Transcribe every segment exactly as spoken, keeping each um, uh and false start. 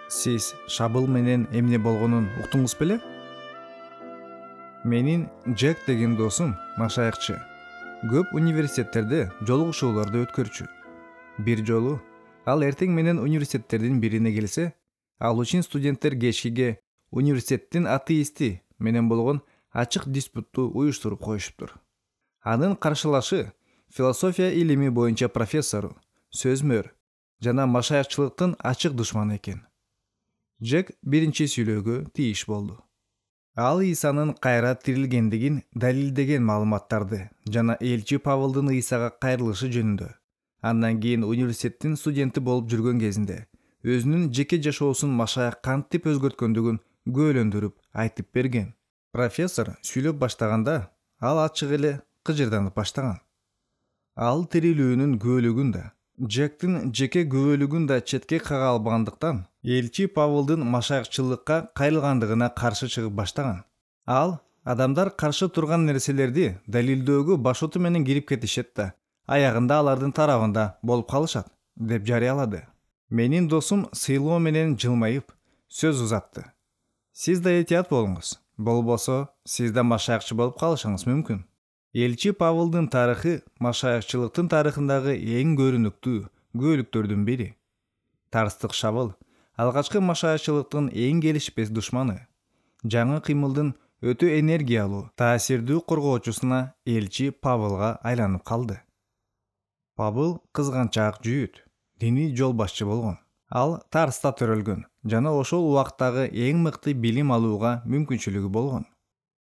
Сиз шабыл менен эмне болгонун уктуңуз беле? Менин Джек деген досум машаякчы. Көп университеттерде жолугушууларды өткөрчү. Бир жолу ал эртең менен университеттердин бирине келсе, ал үчүн студенттер кечкиге университеттин атеисти менен болгон ачык диспутту уюштуруп коюшуптур. Анын каршылашы философия илими боюнча профессору, сөзмөр жана машаякчылыктын ачык душманы экен. Джек биринчи сүйлөөгө тийиш болду. Ал Исанын кайра тирилгендигин далилдеген маалыматтарды жана элчи Павылдын Исага кайрылышы жөнүндө, андан кийин университеттин студенти болуп жүргөн кезинде өзүнүн жеке жашоосун машаяк кантип өзгөрткөндүгүн күбөлөндүрүп айтып берген. Профессор сүйлөп баштаганда ал ачык эле кыжырданып баштаган. Ал тирилүүнүн күбөлүгүн да, Джектин жеке күбөлүгүн да четке кага албагандыктан элчи Павылдын машаякчылыкка кайрылгандыгына каршы чыгып баштаган. Ал адамдар каршы турган нерселерди далилдөөгө башоту менен кирип кетишет да, аягында алардын тарабында болуп калышат, деп жарыялады. Менин досум сыйлоо менен жылмайып сөз узатты. Сиз да этият болуңуз, болбосо сиз да машаякчы болуп калышыңыз мүмкүн. Элчи Павылдын тарыхы машаякчылыктын тарыхындагы эң көрүнүктүү күбөлүктөрдүн бири. Тарстык шабыл алгачкы машаякчылыктын эң келишпес душманы. Жаңы кыймылдын өтө энергиялуу, таасирдүү коргоочусуна элчи Павылга айланып калды. Павыл кызганчаак жүйүт, диний жол башчы болгон. Ал Тарста төрөлгөн жана ошол убактагы эң мыкты билим алууга мүмкүнчүлүгү болгон.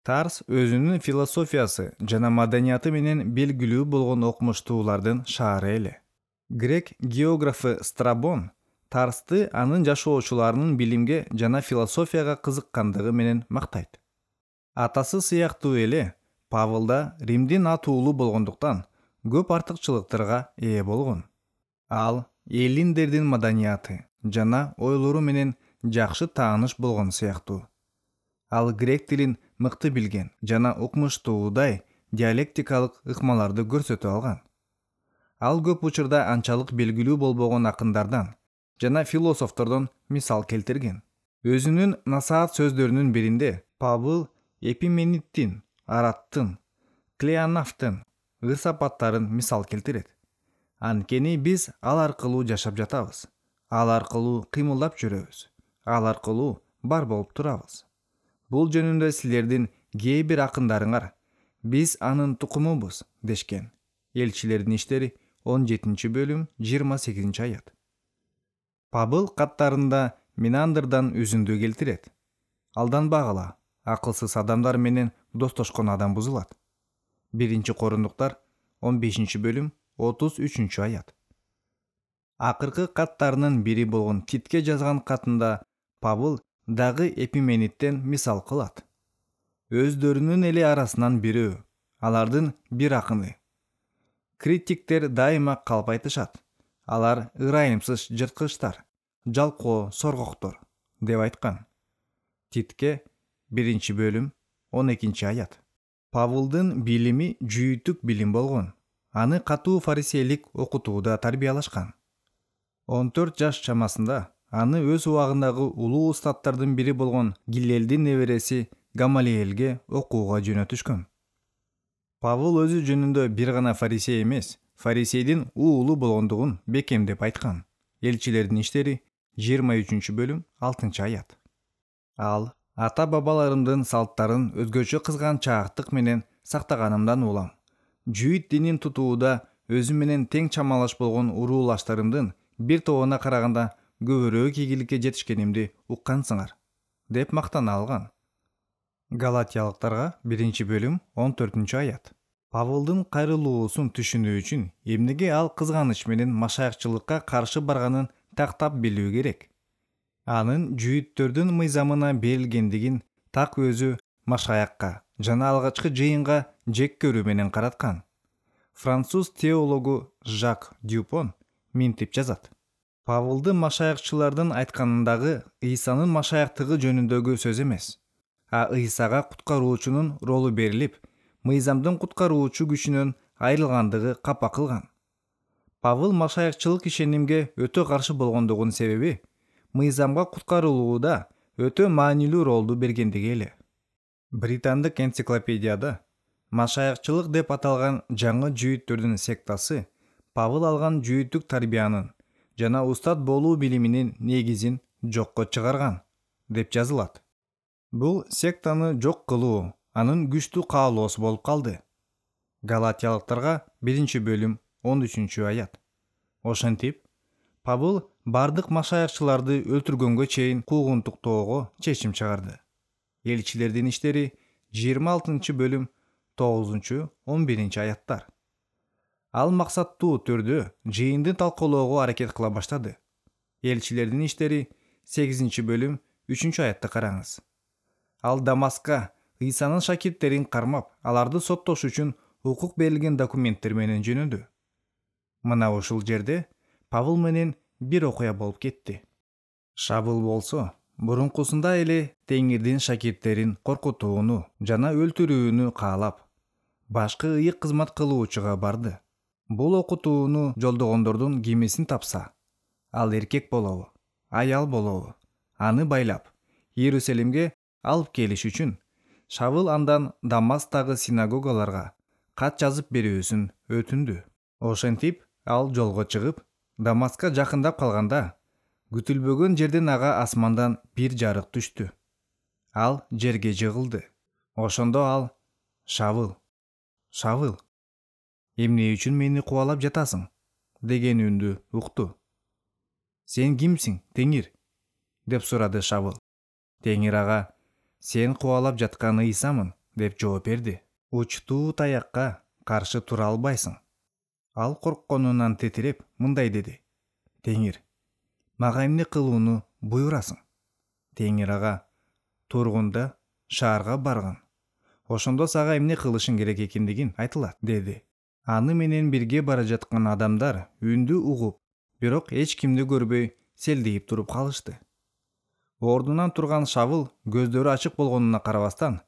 Тарс өзүнүн философиясы жана маданияты менен белгилүү болгон окумуштуулардын шаары эле. Грек географы Страбон Тарсты анын жашоочуларынын билимге жана философияга кызыккандыгы менен мактайт. Атасы сыяктуу эле Павыл да Римдин ат уулу болгондуктан көп артыкчылыктарга ээ болгон. Ал эллиндердин маданияты жана ойлору менен жакшы тааныш болгон сыяктуу. Ал грек тилин мыкты билген жана укмуштуудай диалектикалык ыкмаларды көрсөтө алган. Ал көп учурда анчалык белгилүү болбогон акындардан жана философтордон мисал келтирген. Өзүнүн насаат сөздөрүнүн биринде Павыл Эпимениддин, Араттын, Клеонафтын ыр-сапаттарын мисал келтирет. Анткени биз ал аркылуу жашап жатабыз. Ал аркылуу кыймылдап жүрөбүз. Ал аркылуу бар болуп турабыз. Бул жөнүндө силердин кээ бир акындарыңар биз анын тукумубуз дешкен. Элчилердин иштери он жетинчи бөлүм жыйырма сегизинчи аят. Павыл каттарында Минандырдан үзүндү келтирет. Алданбагыла, акылсыз адамдар менен достошкон адам бузулат. Биринчи Корундуктар он бешинчи бөлүм отуз үчүнчү аят. Акыркы каттарынын бири болгон Титке жазган катында Павыл дагы Эпименидден мисал кылат. Өздөрүнүн эле арасынан бирөө, алардын бир акыны. Критиктер дайыма калп айтышат. Алар ырайымсыз жырткычтар, жалкоо соргоктор, деп айткан. Титке биринчи бөлүм он экинчи аят. Павылдын билими жүйүттүк билим болгон. Аны катуу фарисейлик окутууда тарбиялашкан. он төрт жаш чамасында аны өз убагындагы улуу устаттардын бири болгон Гиллелдин небереси Гамалиэлге окууга жөнөтүшкөн. Павыл өзү жөнүндө бир гана фарисей эмес, фарисейдин уулу болгондугун бекемдеп айткан. Элчилердин иштери жыйырма үчүнчү бөлүм алтынчы аят. Ал ата-бабаларымдын салттарын өзгөчө кызганчаактык менен сактаганымдан улам. Жүйүт динин тутууда өзү менен тең чамалаш болгон уруулаштарымдын бир тобуна караганда көбүрөөк ийгиликке жетишкенимди уккансыңар, деп мактана алган. Галатиялыктарга биринчи бөлүм он төртүнчү аят. Павылдын кайрылуусун түшүнүү үчүн эмнеге ал кызганыч менен машаякчылыкка каршы барганын тактап билүү керек. Анын жүйүттөрдүн мыйзамына берилгендигин так өзү машаякка жана алгачкы жыйынга жек көрүү менен караткан. Француз теологу Жак Дюпон минтип жазат. Павылды машаякчылардын айтканындагы Исанын машаяктыгы жөнүндөгү сөз эмес, а Исага куткаруучунун ролу берилип, мыйзамдын куткаруучу күчүнөн айрылгандыгы капа кылган. Павыл машаякчылык ишенимге өтө каршы болгондугунун себеби мыйзамга куткарылууда өтө маанилүү ролду бергендиги эле. Британдык энциклопедияда машаякчылык деп аталган жаңы жүйүттөрдүн сектасы Павыл алган жүйүттүк тарбиянын жана устат болуу билиминин негизин жокко чыгарган деп жазылат. Бул сектаны жок кылуу анын күчтүү каалоосу болуп калды. Галатиялыктарга биринчи бөлүм он үчүнчү аят. Ошентип, Павыл бардык машаякчыларды өлтүргөнгө чейин куугунтуктоого чечим чыгарды. Элчилердин иштери жыйырма алтынчы бөлүм тогузунчу он биринчи аяттар. Ал максаттуу түрдө жыйынды талкуулоого аракет кыла баштады. Элчилердин иштери сегизинчи бөлүм үчүнчү аятты караңыз. Ал Дамаска Ыйсанын шакирттерин кармап, аларды соттош үчүн укук берилген документтер менен жөнөдү. Мына ушул жерде Павыл менен бир окуя болуп кетти. Шавыл болсо, бурункусунда эле Теңирдин шакирттерин коркутууну жана өлтүрүүнү каалап, башкы ыйык кызмат кылуучуга барды. Бул окутууну жолдогондордун кимисин тапса, ал эркек болобу, аял болобу, аны байлап, Иерусалимге алып келиш үчүн Шавыл андан Дамастагы синагогаларга кат жазып берүүсүн өтүндү. Ошентип, ал жолго чыгып, Дамаска жакындап калганда, күтүлбөгөн жерден ага асмандан бир жарык түштү. Ал жерге жыгылды. Ошондо ал: «Шавыл, Шавыл, эмне үчүн мени кубалап жатасың?» деген үндү укту. «Сен кимсиң, Теңир?» деп сурады Шавыл. Теңир ага: «Сен кубалап жаткан Ыйсамын» деп жооп берди. «Учтуу таякка каршы тура албайсың». Ал коркконунан титиреп мындай деди: «Теңир, мага эмне кылууну буйрасың?» Теңир ага: «Тургунда шаарга баргын. Ошондо сага эмне кылышың керек экендигин айтылат» деди. Аны менен бирге бара жаткан адамдар үндү угуп, бирок эч кимди көрбөй селдейип туруп калышты. Ордунан турган Шавыл көздөрү ачык болгонуна карабастан,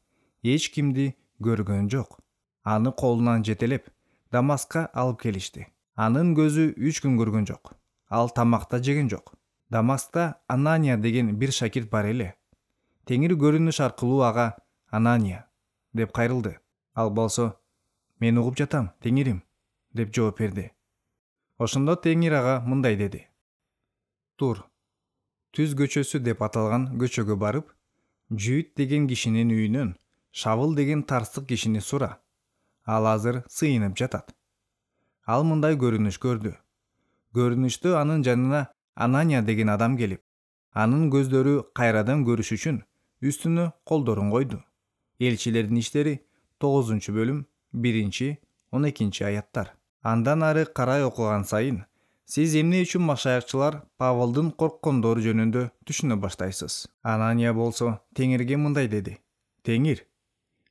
эч кимди көргөн жок. Аны колунан жетелеп Дамаска алып келишти. Анын көзү үч күн көргөн жок. Ал тамак да жеген жок. Дамаскта Анания деген бир шакирт бар эле. Теңир көрүнүш аркылуу ага: «Анания» деп кайрылды. Ал болсо: «Мен угуп жатам, Теңирим» деп жооп берди. Ошондо Теңир ага мындай деди: «Тур, Түз көчөсү деп аталган көчөгө барып, Жүйүт деген кишинин үйүнөн Шавыл деген тарстык кишини сура. Ал азыр сыйынып жатат». Ал мындай көрүнүш көрдү. Көрүнүштө анын жанына Анания деген адам келип, анын көздөрү кайрадан көрүш үчүн үстүнө колдорун койду. Элчилердин иштери тогузунчу бөлүм биринчи он экинчи аяттар. Андан ары карай окуган сайын сиз эмне үчүн машаякчылар Павылдын корккондору жөнүндө түшүнө баштайсыз. Анания болсо Теңирге мындай деди: «Теңир,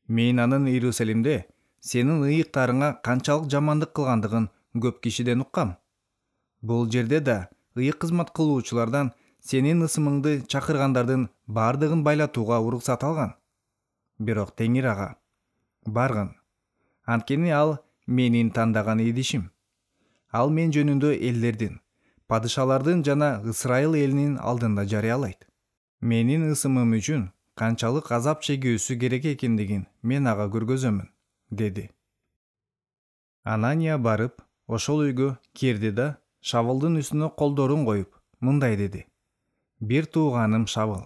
мен анын Иерусалимде сенин ыйыктарыңа канчалык жамандык кылгандыгын көп кишиден уккам. Бул жерде да ыйык кызмат кылуучулардан сенин ысымыңды чакыргандардын бардыгын байлатууга уруксат алган». Бирок Теңир ага: «Баргын. Анткени ал менин тандаган идишим. Ал мен жөнүндө элдердин, падышалардын жана Ысрайыл элинин алдында жарыялайт. Менин ысымым үчүн канчалык азап чегүүсү керек экендигин мен ага көргөзөмүн» деди. Анания барып, ошол үйгө кирди да Шавылдын үстүнө колдорун коюп мындай деди: «Бир тууганым Шавыл,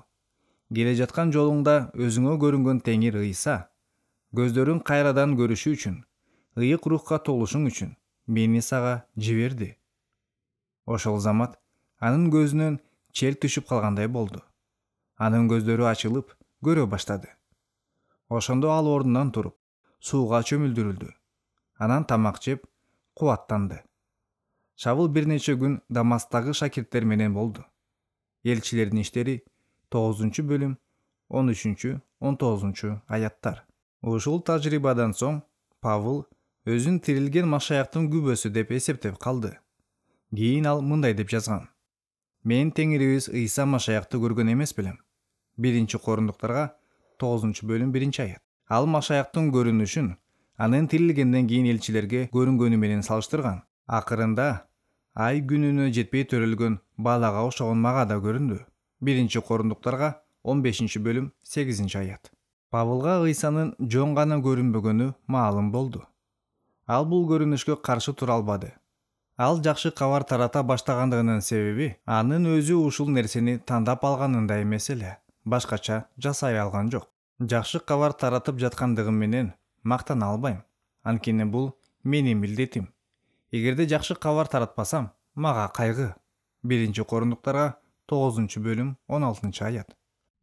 келе жаткан жолуңда өзүңө көрүнгөн Теңир Ыйса көздөрүң кайрадан көрүшү үчүн, ыйык рухка толушуң үчүн мени сага жиберди». Ошол замат анын көзүнөн чел түшүп калгандай болду. Анын көздөрү ачылып, көрө баштады. Ошондо ал ордунан туруп, сууга чөмүлдүрүлдү. Анан тамак жеп, кубаттанды. Шавыл бир нече күн Дамастагы шакирттер менен болду. Элчилердин иштери тогузунчу бөлүм он үчүнчү он тогузунчу аяттар. Ушул тажрыйбадан соң Павыл өзүн тирилген машаяктын күбөсү деп эсептеп калды. Кийин ал мындай деп жазган: «Мен Теңирибиз Ыйса машаякты көргөн эмес белем». Биринчи Корундуктарга тогузунчу бөлүм биринчи аят. Ал машаяктын көрүнүшүн анын тирилгенден кийин элчилерге көрүнгөнү менен салыштырган. Акырында ай күнүнө жетпей төрөлгөн балага окшогон мага да көрүндү. биринчи Корундуктарга он бешинчи бөлүм сегизинчи аят. Павылга Ыйсанын жөн гана көрүнбөгөнү маалым болду. Ал бул көрүнүшкө каршы тура албады. Ал жакшы кабар тарата баштагандыгынын себеби анын өзү ушул нерсени тандап алганында эмес эле, башкача жасай алган жок. Жакшы кабар таратып жаткандыгым менен мактана албайм, анткени бул менин милдетим. Эгерде жакшы кабар таратпасам, мага кайгы. биринчи Корундуктарга тогузунчу бөлүм он алтынчы аят.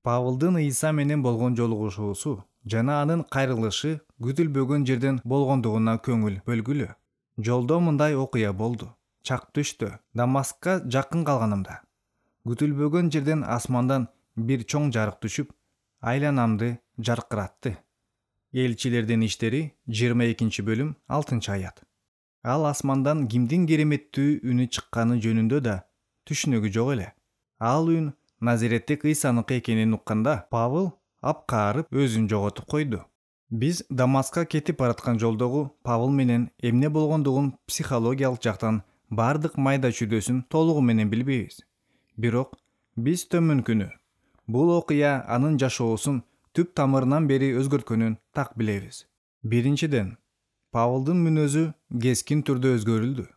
Павылдын Ыйса менен болгон жолугушуусу жана анын кайрылышы күтүлбөгөн жерден болгондугуна көңүл бөлгүлө. Жолдо мындай окуя болду. Чак түштө Дамаскка жакын калганымда күтүлбөгөн жерден асмандан бир чоң жарык түшүп, айланамды жаркыратты. Элчилердин иштери жыйырма экинчи бөлүм алтынчы аят. Ал асмандан кимдин кереметтүү үнү чыкканы жөнүндө да түшүнүгү жок эле. Ал үн Назиреттик Ыйсаныкы экенин укканда Павыл апкаарып өзүн жоготуп койду. Биз Дамаскка кетип бараткан жолдогу Павыл менен эмне болгондугун психологиялык жактан бардык майда чүйдөсүн толугу менен билбейбиз. Бирок биз төмөнкүнү бул окуя анын жашоосун түп тамырынан бери өзгөрткөнүн так билебиз. Биринчиден, Павылдын мүнөзү кескин түрдө өзгөрүлдү.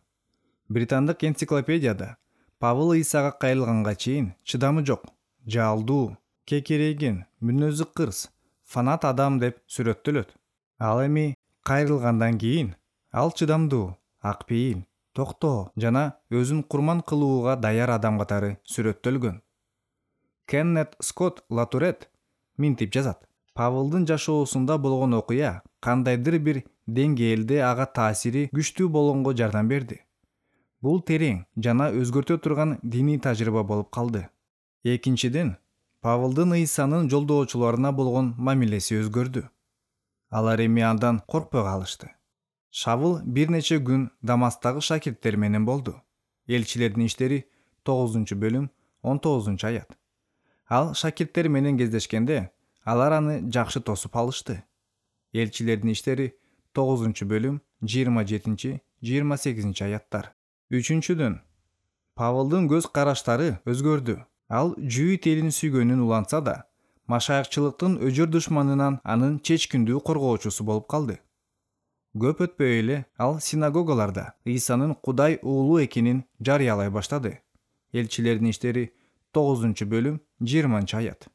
Британдык энциклопедияда Павыл Ыйсага кайрылганга чейин чыдамы жок, жалдуу, кекерейген, мүнөзү кырс, фанат адам деп сүрөттөлөт. Ал эми кайрылгандан кийин ал чыдамдуу, акпейил, токтоо жана өзүн курман кылууга даяр адам катары сүрөттөлгөн. Кеннет Скотт Латурет минтип жазат. Павылдын жашоосунда болгон окуя кандайдыр бир деңгээлде ага таасири күчтүү болгонго жардам берди. Бул терең жана өзгөртө турган диний тажрыйба болуп калды. Экинчиден, Павылдын Ыйсанын жолдоочуларына болгон мамилеси өзгөрдү. Алар эми андан коркпой калышты. Шавыл бир нече күн Дамастагы шакирттер менен болду. Элчилердин иштери тогузунчу бөлүм он тогузунчу аят. Ал шакирттер менен кездешкенде алар аны жакшы тосуп алышты. Элчилердин иштери тогузунчу бөлүм жыйырма жетинчи жыйырма сегизинчи аяттар. Үчүнчүдөн, Павылдын көз караштары өзгөрдү. Ал Жүйүт элин сүйгөнүн улантса да, машаякчылыктын өжөр душманынан анын чечкиндүү коргоочусу болуп калды. Көп өтпөй эле ал синагогаларда Ыйсанын Кудай уулу экенин жарыялай баштады. Элчилердин иштери тогузунчу бөлүм жыйырманчы аят.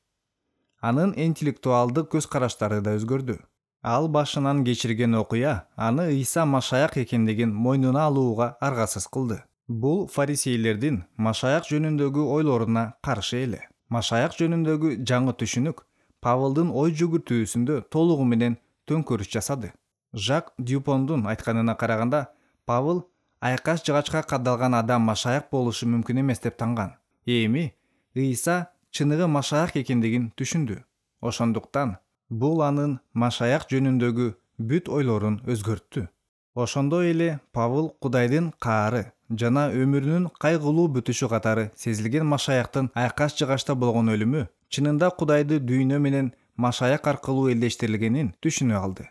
Анын интеллектуалдык көз караштары да өзгөрдү. Ал башынан кечирген окуя аны Ыйса машаяк экендигин мойнуна алууга аргасыз кылды. Бул фарисейлердин машаяк жөнүндөгү ойлоруна каршы эле. Машаяк жөнүндөгү жаңы түшүнүк Павылдын ой жүгүртүүсүндө толугу менен төңкөрүш жасады. Жак Дюпондун айтканына караганда, Павыл айкаш жыгачка кадалган адам машаяк болушу мүмкүн эмес деп танган. Эми Ыйса чыныгы машаяк экендигин түшүндү. Ошондуктан бул анын машаяк жөнүндөгү бүт ойлорун өзгөрттү. Ошондой эле Павыл Кудайдын каары жана өмүрүнүн кайгылуу бүтүшү катары сезилген машаяктын айкаш жыгачта болгон өлүмү чынында Кудайды дүйнө менен машаяк аркылуу элдештирилгенин түшүнө алды.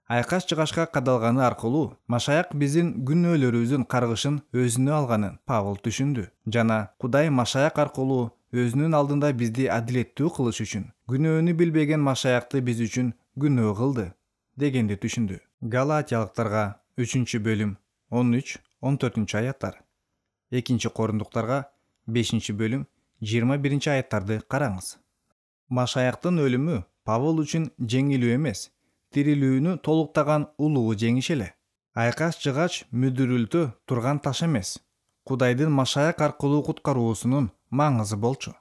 Айкаш жыгачка кадалганы аркылуу машаяк биздин күнөөлөрүбүздүн каргышын өзүнө алганын Павыл түшүндү жана Кудай машаяк аркылуу өзүнүн алдында бизди адилеттүү кылыш үчүн күнөөнү билбеген машаякты биз үчүн күнөө кылды дегенди түшүндү. Галатиялыктарга үчүнчү бөлүм он үч он төртүнчү аяттар. экинчи Корундуктарга бешинчи бөлүм жыйырма биринчи аяттарды караңыз. Машаяктын өлүмү Павыл үчүн жеңилүү эмес, тирилүүнү толуктаган улуу жеңиш эле. Айкаш жыгач мүдүрүлтө турган таш эмес, Кудайдын машаяк аркылуу куткаруусунун маңызы болчу.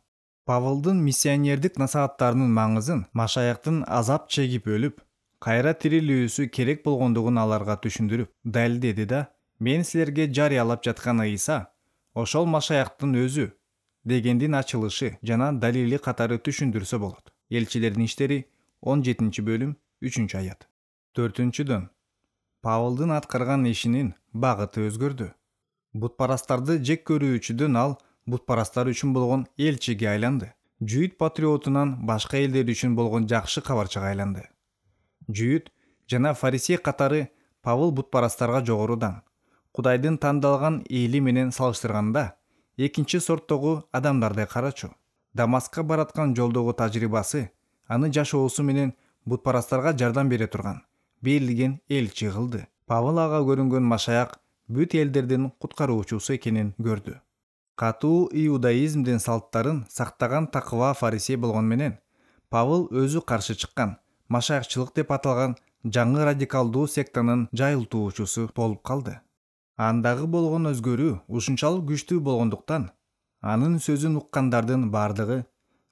Павылдын миссионердик насааттарынын маңызын машаяктын азап чегип өлүп, кайра тирилүүсү керек болгондугун аларга түшүндүрүп далилдеди да, мен силерге жарыялап жаткан Ыйса ошол машаяктын өзү дегендин ачылышы жана далили катары түшүндүрсө болот. Элчилердин иштери он жетинчи бөлүм үчүнчү аят. Төртүнчүдөн, Павылдын аткарган ишинин багыты өзгөрдү. Бутпарастарды жек көрүүчүдөн ал бутпарастар үчүн болгон элчиге айланды. Жүйүт патриотунан башка элдер үчүн болгон жакшы кабарчыга айланды. Жүйүт жана фарисей катары Павыл бутпарастарга жогорудан, Кудайдын тандалган эли менен салыштырганда, экинчи сорттогу адамдардай карачу. Дамаскка бараткан жолдогу тажрыйбасы аны жашоосу менен бутпарастарга жардам бере турган берилген элчи кылды. Павыл ага көрүнгөн машаяк бүт элдердин куткаруучусу экенин көрдү. Катуу иудаизмдин салттарын сактаган такыба фарисей болгон менен Павыл өзү каршы чыккан машаякчылык деп аталган жаңы радикалдуу сектанын жайылтуучусу болуп калды. Андагы болгон өзгөрүү ушунчалык күчтүү болгондуктан анын сөзүн уккандардын бардыгы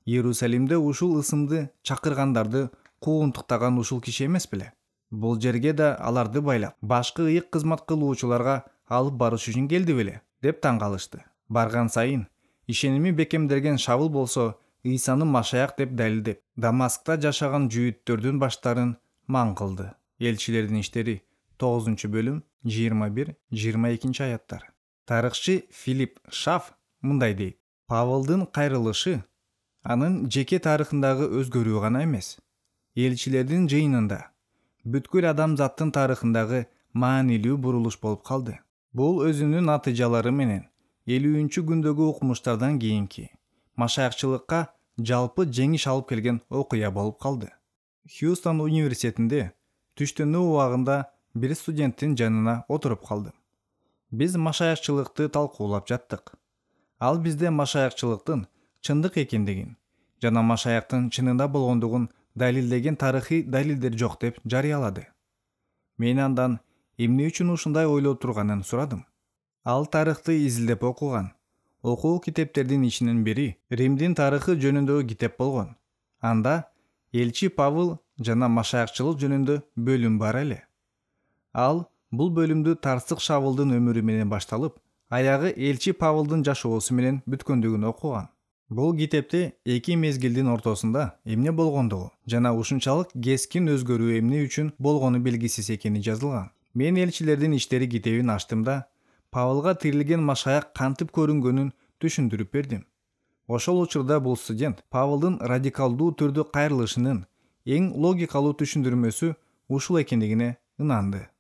Иерусалимде ушул ысымды чакыргандарды куунтуктаган ушул киши эмес беле? Бул жерге да аларды байлап, башкы ыйык кызмат кылуучуларга алып барыш үчүн келди беле деп таң калышты. Барган сайын ишеними бекемделген Шавыл болсо Ыйсаны машаяк деп далилдеп, Дамаскта жашаган жүйүттөрдүн баштарын маң кылды. Элчилердин иштери тогузунчу бөлүм жыйырма бир жыйырма экинчи аяттар. Тарыхчы Филипп Шаф мындай дейт: Павылдын кайрылышы анын жеке тарыхындагы өзгөрүү гана эмес, элчилердин жыйынында бүткүл адамзаттын тарыхындагы маанилүү бурулуш болуп калды. Бул өзүнүн натыйжалары менен элүүнчү күндөгү укмуштардан кийинки машаякчылыкка жалпы жеңиш алып келген окуя болуп калды. Хьюстон университетинде түштөнүү убагында бир студенттин жанына отуруп калдым. Биз машаякчылыкты талкуулап жаттык. Ал бизде машаякчылыктын чындык экендигин жана машаяктын чынында болгондугун далилдеген тарыхый далилдер жок деп жарыялады. Мен андан эмне үчүн ушундай ойлоп турганын сурадым. Ал тарыхты изилдеп окуган. Окуу китептердин ичинен бири Римдин тарыхы жөнүндөгү китеп болгон. Анда элчи Павыл жана машаякчылык жөнүндө бөлүм бар эле. Ал бул бөлүмдү Тарсык Шавылдын өмүрү менен башталып, аягы элчи Павылдын жашоосу менен бүткөндүгүн окуган. Бул китепте эки мезгилдин ортосунда эмне болгондугу жана ушунчалык кескин өзгөрүү эмне үчүн болгону белгисиз экени жазылган. Мен элчилердин иштери китебин ачтым да Павылга тирилген машаяк кантип көрүнгөнүн түшүндүрүп бердим. Ошол учурда бул студент Павылдын радикалдуу түрдө кайрылышынын эң логикалуу түшүндүрмөсү ушул экендигине ынанды.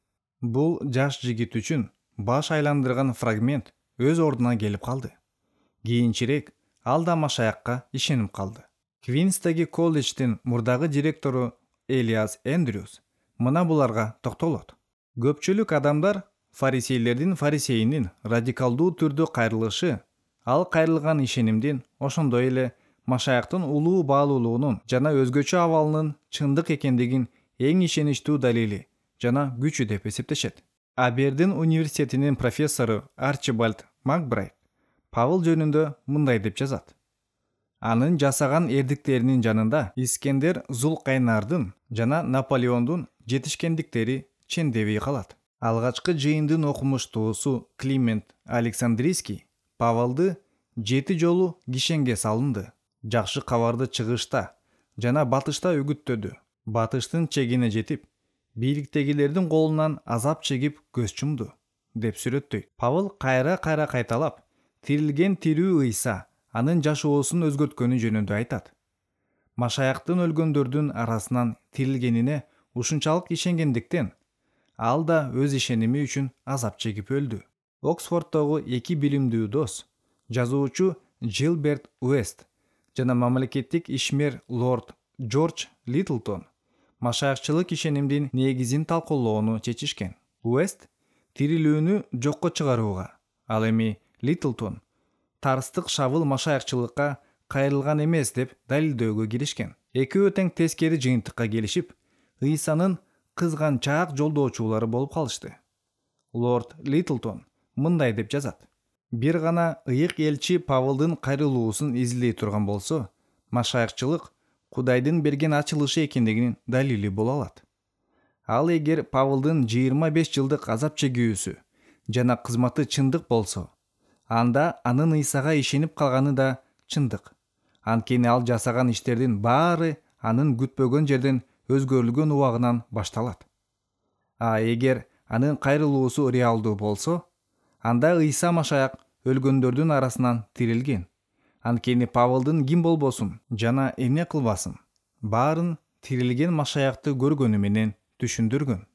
Бул жаш жигит үчүн баш айландырган фрагмент өз ордуна келип калды. Кийинчерээк ал да машаякка ишенип калды. Квинстеги колледждин мурдагы директору Элиас Эндрюс мына буларга токтолот. Көпчүлүк адамдар фарисейлердин фарисейинин радикалдуу түрдө кайрылышы ал кайрылган ишенимдин ошондой эле машаяктын улуу баалуулугунун жана өзгөчө абалынын чындык экендигин эң ишеничтүү далили жана күчү деп эсептешет. Абердин университетинин профессору Арчибальд Макбрайт Павыл жөнүндө мындай деп жазат: Анын жасаган эрдиктеринин жанында Искендер Зулкайнардын жана Наполеондун жетишкендиктери чендебей калат. Алгачкы жыйындын окумуштуусу Климент Александрийский Павылды жети жолу кишенге салынды. Жакшы кабарды чыгышта жана батышта үгүттөдү. Батыштын чегине жетип, бийликтегилердин колунан азап чегип көз чумду деп сүрөттөйт. Павыл кайра-кайра кайталап, тирилген тирүү Ыйса анын жашоосун өзгөрткөнү жөнүндө айтат. Машаяктын өлгөндөрдүн арасынан тирилгенине ушунчалык ишенгендиктен ал да өз ишеними үчүн азап чегип өлдү. Оксфорддогу эки билимдүү дос, жазуучу Джилберт Уэст жана мамлекеттик ишмер лорд Джордж Литлтон машаякчылык ишенимдин негизин талкуулоону чечишкен. Уэст тирилүүнү жокко чыгарууга, ал эми Литлтон Тарстык Шавыл машаякчылыкка кайрылган эмес деп далилдөөгө киришкен. Экөө тең тескери жыйынтыкка келишип, Ыйсанын кызганчаак жолдоочулары болуп калышты. Лорд Литлтон мындай деп жазат: Бир гана ыйык элчи Павылдын кайрылуусун изилдей турган болсо, машаякчылык Кудайдын берген ачылышы экендигинин далили боло алат. Ал эгер Павылдын жыйырма беш жылдык азап чегүүсү жана кызматы чындык болсо, анда анын Ыйсага ишенип калганы да чындык. Анткени ал жасаган иштердин баары анын күтпөгөн жерден өзгөрүлгөн убагынан башталат. А эгер анын кайрылуусу реалдуу болсо, анда Ыйса машаяк өлгөндөрдүн арасынан тирилген. Анткени Павылдын ким болбосун жана эмне кылбасын, баарын тирилген машаякты көргөнү менен түшүндүргөн.